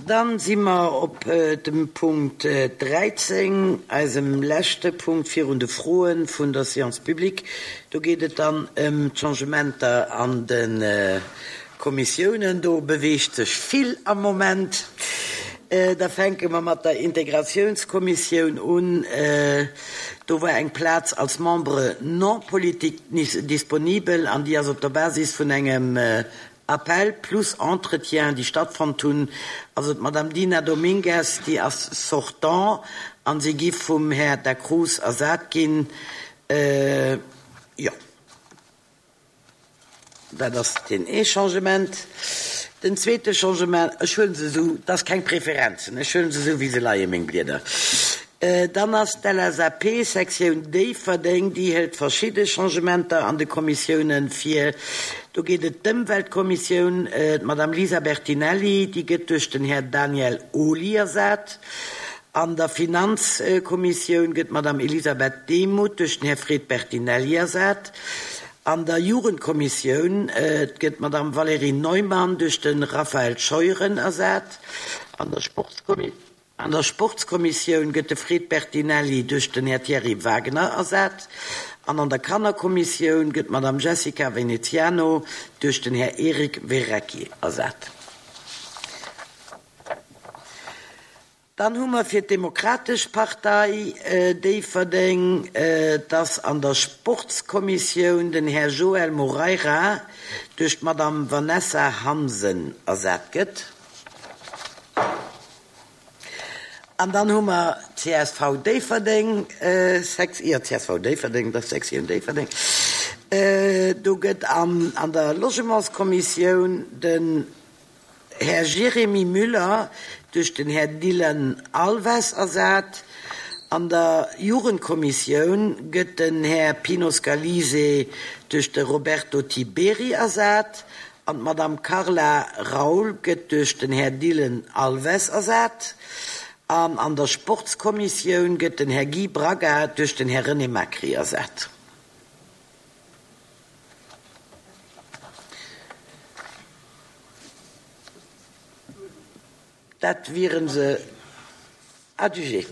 Dann si mer op dem Punkt 13, eisem leschte Punkt virun de Froe vun der Séance publique. Do geet et dann ëm d'Changementer an de Kommissiounen. Do beweegt sech vill am Moment. Da fänke mer mat der Integratiounskommissioun un. Do war eng Plaz als Membre non politique disponibel an déi ass op der Basis vun engem Appel plus Entretien, déi stattfonnt hunn. Also d'Madame Dina Domingues, déi ass sortant an si gi vum Här Da Cruz ersat ginn. Jo. Dat ass deen ee Changement. Den zweete Changement, ech huele se esou, et ass keng Preferenzen, ech huele se esou wéi se leien, meng Blieder. Dann ass d'LSAP Sektioun Déifferdeng, déi hëlt verschidde Changementer an de Kommissiounen vir. Do geet et d'Ëmweltkommissioun, d'Madame Lisa Bertinelli, déi gëtt duerch den Här Daniel Ohly ersat. An der Finanzkommissioun gëtt d'Madame Elisabeth Demuth duerch den Här Fred Bertinelli ersat. An der Jugendkommissioun gëtt d'Madame Valérie Neumann duerch de Raphaël Scheuren ersat. An der Sportskommissioun gëtt de Fred Bertinelli duerch den Här Thierry Wagner ersat. An an der Kannerkommissioun gëtt d'Madame Jessica Veneziano duerch den Här Eric Verrecchi ersat. Dann hu mer fir d'Demokratesch Partei Déifferdeng, dass an der Sportskommissioun den Här Joël Moreira duerch d'Madame Vanessa Hansen ersat gëtt. An dann hu mer csv Déifferdeng, jo, csv Déifferdeng, dat ass d'Sektioun Déifferdeng, do gëtt an der Logementskommissioun den Här Jérémy Müller duerch den Här Dylan Alves ersat. An der Jugendkommissioun gëtt den Här Pino Scalise duerch de Roberto Tiberi ersat an d'Madame Carla Raul gëtt duerch den Här Dylan Alves ersat. An an der Sportskommissioun gëtt den Här Guy Braga duerch den Här René Macri ersat. Dat wiere se. Adjugé.